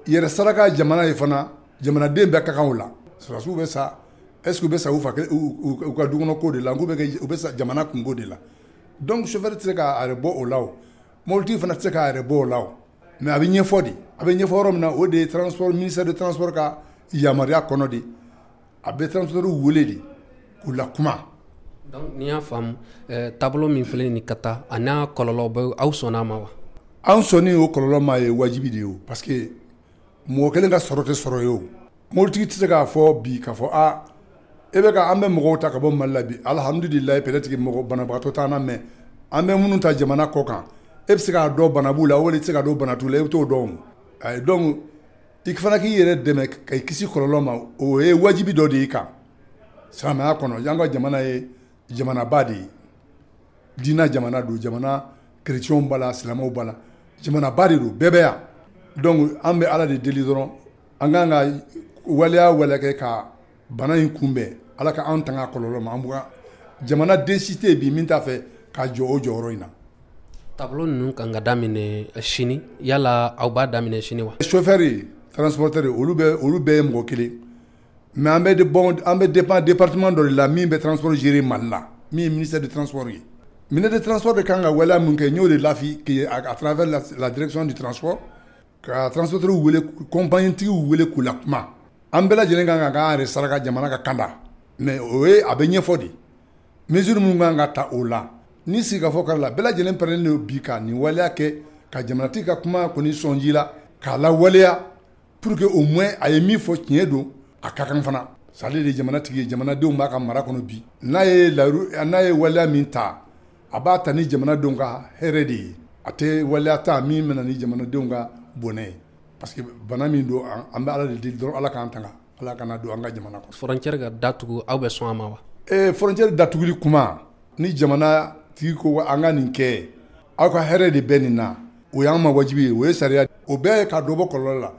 Yɛrɛ saraka jamana ye fana, jamanaden bɛɛ ka kan o la. Sɔrɔdasiw bɛ sa est ce que u bɛ sa u fa u ka dukɔnɔ ko de la, u bɛ sa jamana kungo de la. Donc chauffeur tɛ se k'a yɛrɛ bɔ o la, mobilitigi fana tɛ se k'a yɛrɛ bɔ o la. Mais a bɛ ɲɛfɔ de, a bɛ ɲɛfɔ yɔrɔ min na, o de ye transport ministère de transport ka yamaruya kɔnɔ de, a bɛ transporteur wele de k'u la kuma. Donc ni y'a faamu, taabolo min filɛ nin ka taa a n'a kɔlɔlɔ bɛ, aw sɔnna a ma wa? An sɔnni o kɔlɔlɔ ma ye wajibi de ye o, parce que mɔgɔ kelen ka sɔrɔ tɛ sɔrɔ ye o. Mobilitigi tɛ se k'a fɔ bi k'a fɔ aa e bɛ ka an bɛ mɔgɔw ta ka bɔ Mali la bi, alihamudulilayi, peut-être mɔgɔ banabagatɔ t'an na, mais an bɛ minnu ta jamana kɔ kan, e bɛ se k'a dɔn bana b'u la wala i tɛ se k'a dɔn bana t'u la, e bɛ t'o dɔn o. Donc i fana k'i yɛrɛ dɛmɛ ka i kisi kɔlɔlɔ ma, o ye wajibi dɔ de y'i kan silamɛya kɔnɔ. Y'an ka jamana ye jamanaba de ye, diinɛ jamana don, jamana chrétiens b'a la, silamɛw b'a la, jamanaba de don, bɛɛ bɛ yan. Donc an bɛ Ala de deli dɔrɔn, an kan ka waleya waleya kɛ ka bana in kunbɛn, Ala ka an tanga kɔlɔlɔ ma. An bɔra jamana den si tɛ yen bi min t'a fɛ ka jɔ o jɔyɔrɔ in na. Tableau ninnu kan ka daminɛ sini, yala aw b'a daminɛ sini wa? Chauffeur, transporteur, olu bɛɛ ye mɔgɔ kelen, mais an bɛ bon, an bɛ dépend département dɔ de la min bɛ transport gérer Mali la, min ye ministère de transport ye. Ministère de transport de kan ka waleya min kɛ, n y'o de lafi à travers la direction du transport, ka transporteur wele, compagnie tigiw wele k'u la kuma. An bɛɛ lajɛlen kan ka k'an yɛrɛ saraka jamana ka kanda, mais o ye a bɛ ɲɛfɔ de, mesure min kan ka ta o la ni sigikafɔ kɛra la, bɛɛ lajɛlen pɛrɛnnen don bi ka nin waleya kɛ, ka jamanatigi ka kuma kɔni sɔnji la k'a lawaleya, pour que au moins a ye min fɔ tiɲɛ don, a ka kan fana. Ale de ye jamana tigi ye, jamanadenw b'a ka mara kɔnɔ bi. N'a ye layiru, n'a ye waleya min ta, a b'a ta ni jamanadenw ka hɛrɛ de ye. A tɛ waleya ta min bɛna ni jamanadenw ka bɔnɛ ye, parce que bana min don, an bɛ Ala de deli dɔrɔn, Ala k'an tanga, Ala kana don an ka jamana kɔnɔ. Frontière ka datugu, aw bɛ sɔn a ma wa? Frontière datuguli kuma, ni jamana tigi ko an ka nin kɛ, aw ka hɛrɛ de bɛ nin na, o y'an ma wajibi ye, o ye sariya, o bɛɛ ye ka dɔ bɔ kɔlɔlɔ la.